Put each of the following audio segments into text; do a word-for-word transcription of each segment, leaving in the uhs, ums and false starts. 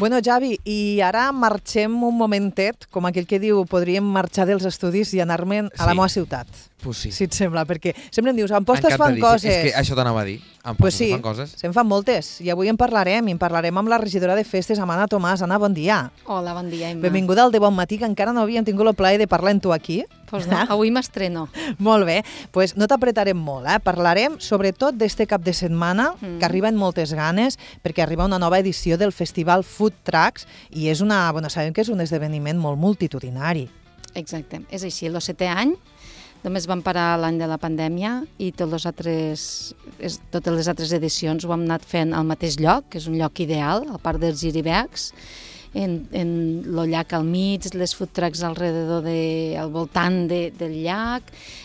Bueno, Javi, i ara marxem un momentet, com aquell que diu, podríem marxar dels estudis i anar-me'n a la Sí. meva ciutat. Pues sí. Si et sembla, perquè sempre em dius, a Amposta es fan Encantadíssim. coses. És que això t'anava a dir. A Amposta Pues sí, es fan coses. se'n fan moltes. I avui en parlarem, i en parlarem amb la regidora de festes, amb Anna Tomàs. Anna, bon dia. Hola, bon dia, Emma. Benvinguda al De Bon Matí, que encara no havíem tingut el plaer de parlar amb tu aquí. Pues no, avui m'estreno. Molt bé, pues no t'apretarem molt, eh? Parlarem sobretot d'este cap de setmana, mm. que arriba amb moltes ganes, perquè arriba una nova edició del Festival Food Trucks, i és una, bueno, sabem que és un esdeveniment molt multitudinari. Exacte, és així, el setè any, només vam parar l'any de la pandèmia i tots els altres, és, totes les altres edicions ho hem anat fent al mateix lloc, que és un lloc ideal, al parc dels Giribecs, en, en el llac al mig, les food trucks alrededor de, al voltant de, del llac,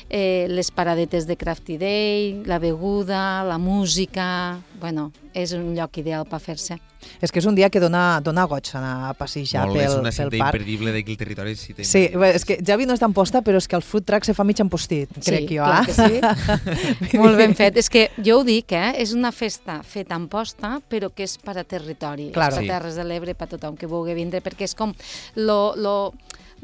eh, les paradetes de Crafty Day, la beguda, la música... Bueno, és un lloc ideal per fer-se. És que és un dia que dona, dona goig anar a passejar Molt bé, pel, és una pel cita parc. imperdible d'aquí el territori. Cita Sí, imperdible. és que Javi no és d'Amposta, però és que el food truck se fa mig empostit, crec sí, jo. Clar eh? que sí. Molt ben fet. És que jo ho dic, eh? És una festa feta a Amposta, però que és per a territori, Claro. per Sí. a Terres de l'Ebre, per a tothom que vulgui vindre, perquè és com lo, lo,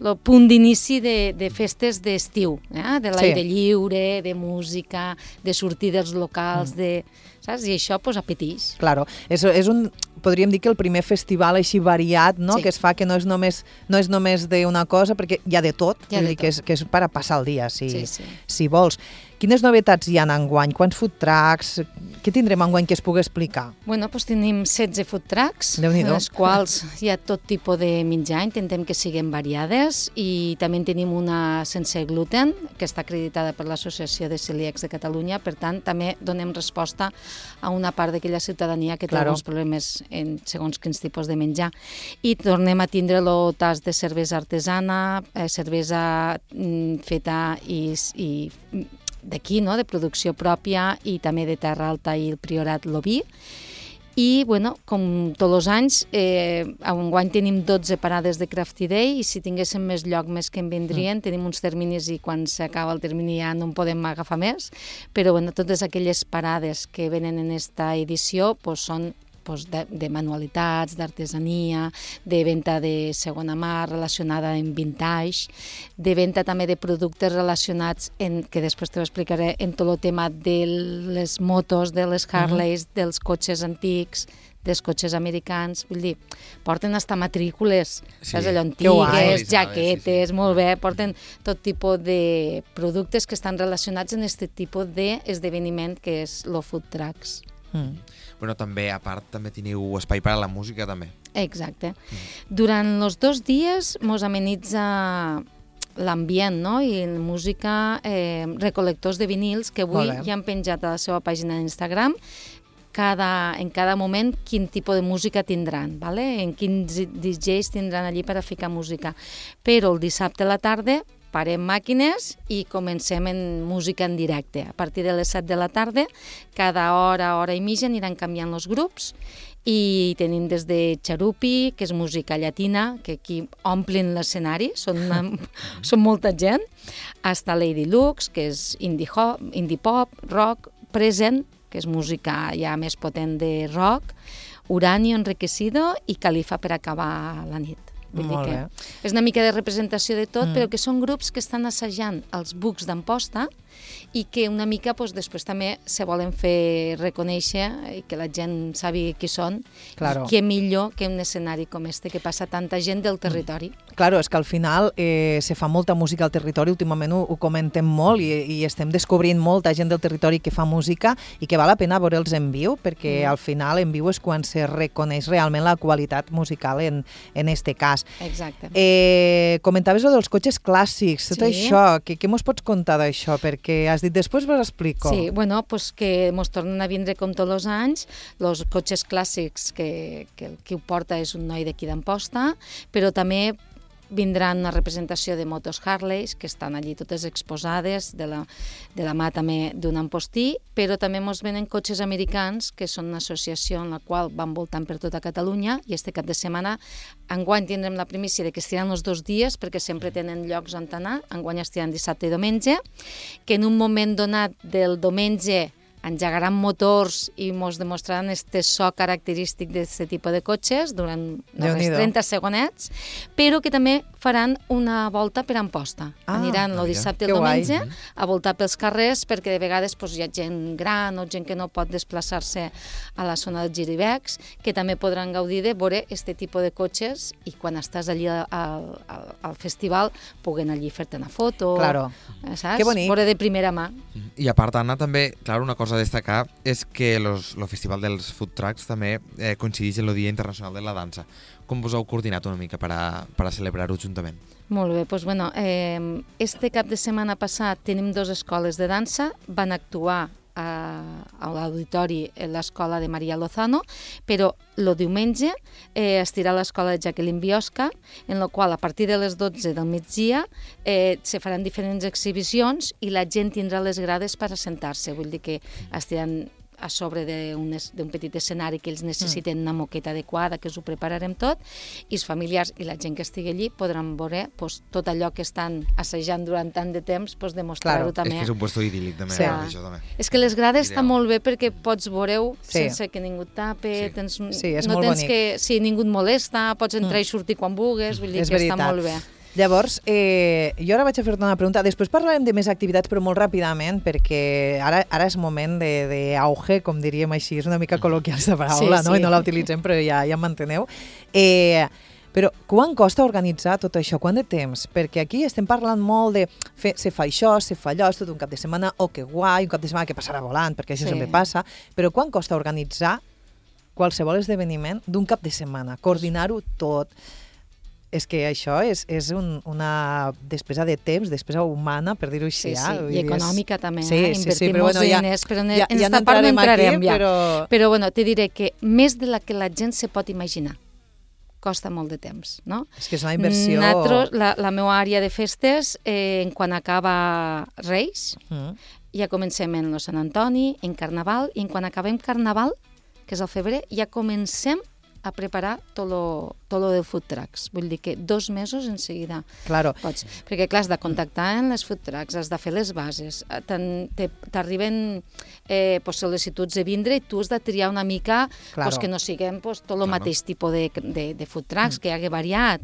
el punt d'inici de, de festes d'estiu, eh? De l'aire Sí. lliure, de música, de sortir dels locals, Mm. de, saps? I això pues, apeteix. Claro, és, és un, podríem dir que el primer festival així variat, no? Sí. Que es fa que no és només, no és només d'una cosa, perquè hi ha de tot, Hi ha vull de dir que és, tot. que és per a passar el dia, si, Sí, sí. si vols. Quines novetats hi ha enguany? Quants food trucks? Què tindrem enguany que es pugui explicar? Bueno, doncs tenim setze food trucks, en Déu-n'hi-do. les quals hi ha tot tipus de menjar, intentem que siguin variades, i també en tenim una sense gluten, que està acreditada per l'Associació de Celíacs de Catalunya, per tant, també donem resposta a una part d'aquella ciutadania que té Claro. alguns problemes en segons quins tipus de menjar. I tornem a tindre el tas de cervesa artesana, eh, cervesa mm, feta i, i d'aquí, no? De producció pròpia, i també de Terra Alta i el Priorat Lobí. I, bueno, com tots els anys, eh, enguany tenim dotze parades de Crafty Day, i si tinguéssim més lloc, més que en vindrien, mm. tenim uns terminis i quan s'acaba el termini ja no en podem agafar més, però bueno, totes aquelles parades que venen en esta edició pues, són pues, de, de manualitats, d'artesania, de venda de segona mà relacionada amb vintage, de venda també de productes relacionats, en, que després t'ho explicaré, en tot el tema de les motos, de les Harleys, mm-hmm. dels cotxes antics, dels cotxes americans, vull dir, porten hasta matrícules, Sí. saps, allò Que guai. antigues, jaquetes, Sí, sí. molt bé, porten tot tipus de productes que estan relacionats en aquest tipus d'esdeveniment que és el food trucks. Mm. Bueno, també, a part, també teniu espai per a la música, també. Exacte. Durant els dos dies mos amenitza l'ambient, no? I la música, eh, recol·lectors de vinils, que avui Molt bé. ja han penjat a la seva pàgina d'Instagram, cada, en cada moment quin tipus de música tindran, ¿vale? En quins D Js tindran allí per a ficar música. Però el dissabte a la tarda parem màquines i comencem en música en directe. A partir de les set de la tarda, cada hora, hora i mitja aniran canviant els grups, i tenim des de Charupi, que és música llatina, que aquí omplin l'escenari, són, una, són molta gent, hasta Lady Lux, que és indie, hop, indie pop, rock, Present, que és música ja més potent de rock, Uranio Enriquecido i Califa per acabar la nit. Vull Molt dir bé. que és una mica de representació de tot, Mm. mm. però que són grups que estan assajant els bucs d'Amposta i que una mica doncs, després també se volen fer reconèixer i que la gent sàpiga qui són. Claro. I què millor que un escenari com este, que passa tanta gent del territori. Claro, és que al final eh, se fa molta música al territori, últimament ho, ho comentem molt i, i estem descobrint molta gent del territori que fa música i que val la pena veure'ls en viu, perquè Mm. al final en viu és quan se reconeix realment la qualitat musical en, en este cas. Exacte. Eh, comentaves lo dels cotxes clàssics, tot Sí. això, què, què mos pots contar d'això? Perquè has dit, després vos explico. Sí, bueno, pues que mos tornen a vindre com tots els anys, els cotxes clàssics, que, que el qui ho porta és un noi d'aquí d'Amposta, però també vindran una representació de motos Harleys, que estan allí totes exposades, de la, de la mà també d'un ampostí, però també ens venen cotxes americans, que són una associació en la qual van voltant per tota Catalunya, i este cap de setmana, enguany tindrem la primícia de que estiran els dos dies, perquè sempre tenen llocs on anar, enguany estiran dissabte i diumenge, que en un moment donat del diumenge engegaran motors i ens demostraran este so característic d'aquest tipus de cotxes durant uns trenta segonets, però que també faran una volta per Amposta. Ah, Aniran el dissabte i el guai. diumenge a voltar pels carrers, perquè de vegades pues, hi ha gent gran o gent que no pot desplaçar-se a la zona dels Giribecs, que també podran gaudir de veure aquest tipus de cotxes i quan estàs allí al, al, al festival puguen allí fer-te una foto, Claro. saps? Que bonic. Veure de primera mà. I a part, Anna, també, clar, una cosa a destacar és que el Festival dels Food Trucks també eh, coincideix en el Dia Internacional de la Dansa. Com vos heu coordinat una mica per a, per a celebrar-ho juntament? Molt bé, doncs bueno, eh, este cap de setmana passat tenim dues escoles de dansa, van actuar a, a l'auditori l'escola de Maria Lozano, però el diumenge eh, estirà l'escola de Jacqueline Biosca, en la qual a partir de les dotze del migdia eh, se faran diferents exhibicions i la gent tindrà les grades per assentar-se, vull dir que estiran a sobre d'un petit escenari que ells necessiten una moqueta adequada, que us ho prepararem tot, i els familiars i la gent que estigui allí podran veure pues, tot allò que estan assajant durant tant de temps, pues, demostrar-ho Claro. també. És que és un puesto idíl·lic també, Sí. això també. És que les grades Ideal. estan molt bé perquè pots veure-ho Sí. sense que ningú et tape, Sí. tens, Sí, és no molt tens bonic. que... Sí, ningú et molesta, pots entrar i sortir quan vulguis, vull dir És que veritat. està molt bé. Llavors, eh, jo ara vaig a fer-te una pregunta. Després parlarem de més activitats, però molt ràpidament, perquè ara, ara és moment d'auge, com diríem així, és una mica col·loquial aquesta paraula, Sí, no? sí. I no la utilitzem, però ja, ja m'enteneu. Eh, però quan costa organitzar tot això? Quant de temps? Perquè aquí estem parlant molt de fer, se fa això, se fa allò, és tot un cap de setmana, oh, que guai, un cap de setmana que passarà volant, perquè això Sí. sempre passa, però quan costa organitzar qualsevol esdeveniment d'un cap de setmana? Coordinar-ho tot. És que això és, és un, una despesa de temps, despesa humana, per dir-ho així. Sí, sí, eh? Vull i dir, és- econòmica també, Sí, eh? sí, sí, Invertim però molts bueno, ja- diners, però en, ja- en ja esta part no entrarem entrarem aquí, ja. però- Però bueno, te diré que més de la que la gent se pot imaginar. Costa molt de temps, no? És que és una inversió... Nosaltres, la, la meva àrea de festes, eh, en quan acaba Reis, Mm. ja comencem en el Sant Antoni, en Carnaval, i en quan acabem Carnaval, que és el febrer, ja comencem a preparar tot lo, tot lo de food trucks. Vull dir que dos mesos en seguida Claro. pots. Perquè, clar, has de contactar en les food trucks, has de fer les bases, eh, t'en- te- t'arriben eh, pues, sol·licituds de vindre i tu has de triar una mica Claro. pues, que no siguem pues, tot el Claro. mateix tipus de, de, de food trucks, que hi hagi variat.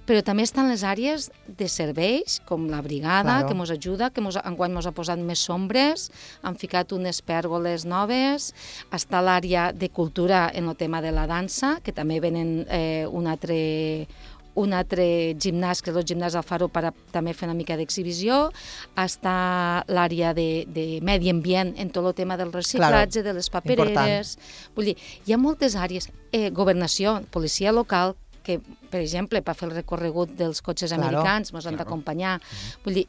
Però també estan les àrees de serveis, com la brigada, Claro. que ens ajuda, que mos, enguany ens ha posat més sombres, han ficat unes pèrgoles noves, està l'àrea de cultura en el tema de la dansa, que també venen eh, un altre un altre gimnàs, que és el gimnàs Alfaro, per a també fer una mica d'exhibició. Està l'àrea de, de medi ambient en tot el tema del reciclatge, Claro. de les papereres. Vull dir, hi ha moltes àrees. Eh, governació, policia local, que, per exemple, per fer el recorregut dels cotxes Claro. americans ens han Claro. d'acompanyar. Vull dir,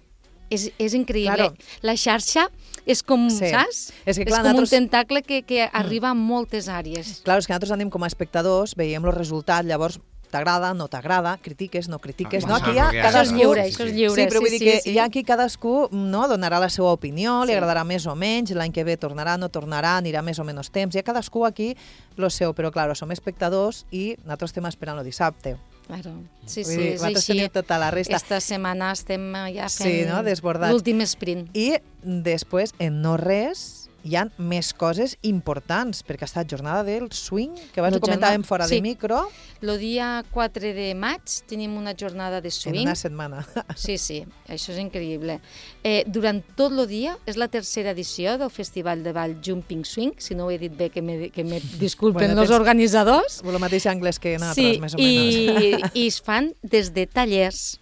és, és increïble. Claro. La xarxa és com, Sí. saps? És que, clar, és com nosaltres- un tentacle que, que arriba a moltes àrees. Clar, és que nosaltres anem com a espectadors, veiem els resultats, llavors t'agrada, no t'agrada, critiques, no critiques, Ah, no? això Aquí és hi ha el que hi ha. Això és cadascú... lliure, Sí, això sí. és lliure. Sí, però vull dir sí, que sí. hi ha aquí cadascú no, donarà la seva opinió, li Sí. agradarà més o menys, l'any que ve tornarà, no tornarà, anirà més o menys temps. Hi ha cadascú aquí lo seu, però clar, som espectadors i nosaltres estem esperant el dissabte. Claro. Sí, Vull sí, dir, és vosaltres així. teniu tota la resta. Esta setmana estem ja Sí, fent no? Desbordats. l'últim sprint. I després, en no res, hi ha més coses importants, perquè ha estat jornada del swing, que abans La ho comentàvem jornada- fora sí. de micro, El dia quatre de maig tenim una jornada de en swing. una setmana. Sí, sí, això és increïble. Eh, durant tot el dia, és la tercera edició del Festival de Ball Jumping Swing, si no ho he dit bé, que me, que me disculpen Bueno, els tens- organitzadors. El mateix anglès que nosaltres, Sí, més o menys. i, i es fan des de tallers,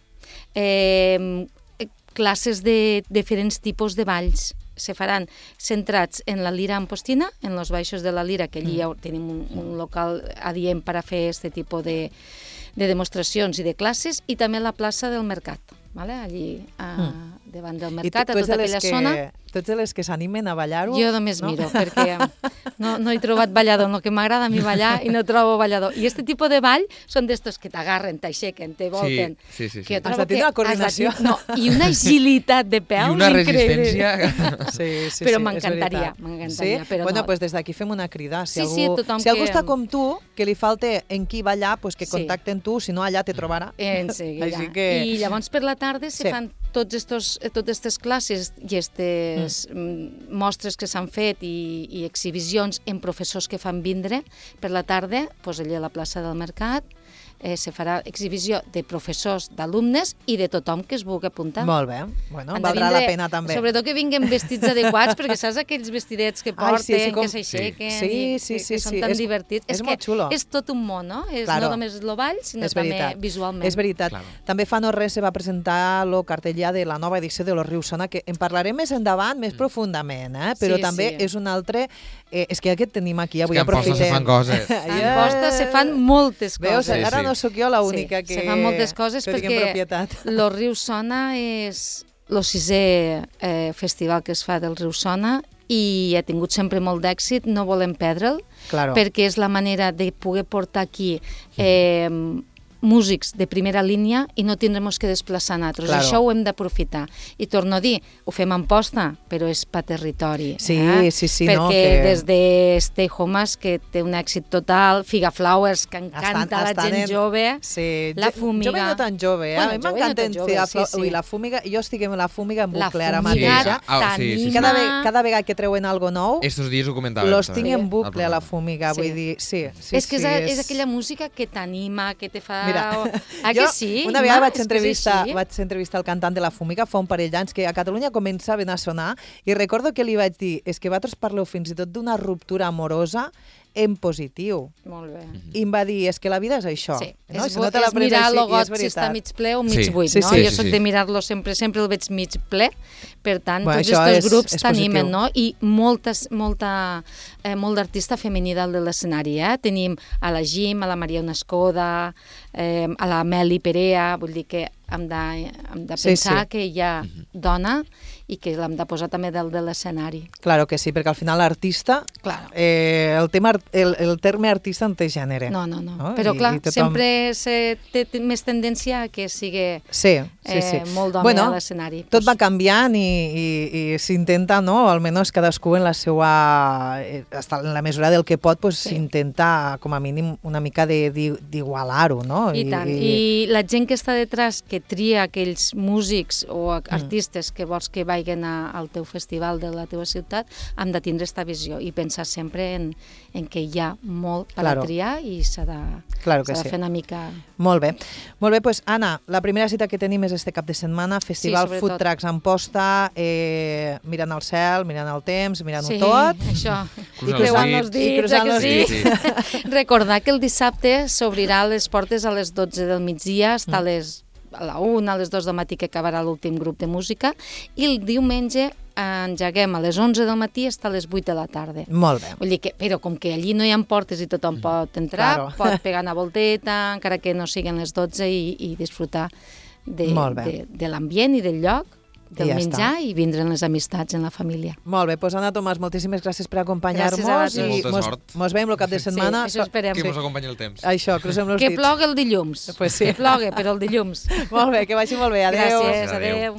eh, classes de diferents tipus de balls. Se faran centrats en la lira ampostina, en els baixos de la lira, que allí ja tenim un, un local adient per a fer aquest tipus de, de demostracions i de classes, i també la plaça del Mercat, vale? Allí a, davant del I Mercat, tu a ets tota de les aquella que, zona. tu ets de les que s'animen a ballar-ho? Jo només no? miro, perquè no, no he trobat ballador. El que m'agrada a mi ballar i no trobo ballador. I aquest tipus de ball són d'estos que t'agarren, t'aixequen, te volten. sí, sí, sí. Que jo Has trobo de tenir que una coordinació. has de- No, i una agilitat de peus I una increïble. resistència... Sí, sí, Però sí, m'encantaria, és veritat. m'encantaria, Sí? però bueno, no. pues des d'aquí fem una crida. Si Sí, algú, sí, tothom si algú que- està com tu, que li falta en qui ballar, pues que Sí. contacten tu, si no allà te trobarà. En seguida. Així que... I llavors per la tarda se Sí. fan tots estos, totes aquestes classes i aquestes mm. mostres que s'han fet i, i exhibicions en professors que fan vindre per la tarda, doncs allà a la plaça del Mercat, eh, se farà exhibició de professors, d'alumnes i de tothom que es vulgui apuntar. Molt bé. Bueno, Han de valdrà vindre, la pena també. Sobretot que vinguin vestits adequats, perquè saps aquells vestidets que porten, Ai, sí, sí, com... que s'aixequen sí. i sí, sí, que, que sí, són sí. tan és, divertits. És, És, és molt que xulo. és tot un món, no? És claro. no només el ball, sinó és també veritat. visualment. És veritat. Claro. També fa no res se va presentar el cartell ja de la nova edició de Los Rius Sona, que en parlarem més endavant, més mm. profundament, eh? però Sí, també sí. és un altre... Eh, és que ja que et tenim aquí, avui és que en Posta se fan coses. En Posta se fan moltes Veus, coses. Sí, ara sí. no sóc jo l'única sí, que... se fan moltes coses que tinc en perquè propietat. Los Rius Sona és el sisè eh, festival que es fa del Riu Sona i ha tingut sempre molt d'èxit, no volem perdre'l, Claro. perquè és la manera de poder portar aquí eh, músics de primera línia i no tindrem que desplaçar nosaltres. Claro. Això ho hem d'aprofitar. I torno a dir, ho fem en Posta, però és pa territori. Sí, eh? sí, sí, Perquè no, que- des de Stay Homes, que té un èxit total, Figa Flowers, que encanta Estan- la estan gent en- jove, Sí. la jo- Fúmiga. Jove no tan jove, eh? Bueno, a mi jove no m'encanta tan jove, Figa sí, Flor... sí. Ui, la Fúmiga, jo estic amb la Fúmiga en la bucle ara Fúmiga mateix. Sí. Ah, sí, sí, sí. Cada, ve, t'anima. cada vegada que treuen algo nou, Estos dies ho comentàvem. los també, tinc en al bucle a la programa. Fúmiga, Sí. vull dir, sí, sí, és que sí, és, és aquella música que t'anima, que te fa... Mira, Ah, jo que sí? una vegada Ima? vaig És que és entrevistar, així. vaig entrevistar el cantant de la Fúmiga fa un parell d'anys que a Catalunya començaven a sonar i recordo que li vaig dir, és que vosaltres parleu fins i tot d'una ruptura amorosa en positiu. Molt bé. I em va dir, és que la vida és això. Sí, no? és, Si no te la és prens mirar així, el i got és si està veritat. mig ple o mig Sí. buit, Sí, no? sí, jo sí, soc sí. de mirar-lo sempre, sempre el veig mig ple, per tant, Bueno, tots això aquests és- grups és t'animen, positiu. no? I moltes, molta, eh, molt d'artista femení dalt de l'escenari, eh? Tenim a la Jim, a la Maria Onescoda, eh, a la Meli Perea, vull dir que hem de, hem de Sí, pensar sí. que hi ha dona i que l'hem de posar també dalt de l'escenari. Claro que sí, perquè al final l'artista, Claro. eh, el, tema, art- el, el terme artista no té gènere. No, no, no. No? Però I- clar, i tothom- sempre se té té més tendència a que sigui Sí, sí, sí. eh, molt d'home bueno, a l'escenari. Tot Pues, va canviant i, i, i s'intenta, no? almenys cadascú en la seva... eh, hasta en la mesura del que pot, pues, Sí. s'intenta, com a mínim, una mica de- di- d'igualar-ho, no? I tant. I la gent que està detrás, que tria aquells músics o a- artistes que vols que vagin a, al teu festival de la teva ciutat, hem de tindre aquesta visió i pensar sempre en, en que hi ha molt per Claro. a triar i s'ha de, Claro que s'ha de sí. fer una mica... Molt bé. Molt bé, pues, Anna, la primera cita que tenim és este cap de setmana, Festival sobretot. Food Trucks en Posta, eh, mirant el cel, mirant el temps, mirant-ho Sí, tot. això. Cruzant I creuant els els dits. I dits, cruzant eh els que sí? dits. Recordar que el dissabte s'obrirà les portes a les dotze del migdia, està a les a la una, a les dues del matí que acabarà l'últim grup de música, i el diumenge engeguem a les onze del matí fins a les vuit de la tarda. Molt bé. Vull dir que, però com que allí no hi ha portes i tothom pot entrar, Claro. pot pegar una volteta, encara que no siguin les dotze, i, i disfrutar de, Molt bé. de, de l'ambient i del lloc, del I ja menjar, està. i vindran les amistats en la família. Molt bé, doncs Anna Tomàs, moltíssimes gràcies per acompanyar-nos Gràcies a vosaltres. i Molta mos, sort. mos veiem el cap de setmana. Sí, això esperem. Que mos acompanyi el temps. Això, crucem els Que dits. plogui el dilluns. Pues sí. Que plogui, però el dilluns. Molt bé, que vagi molt bé. Adéu. Gràcies, Adéu. adéu.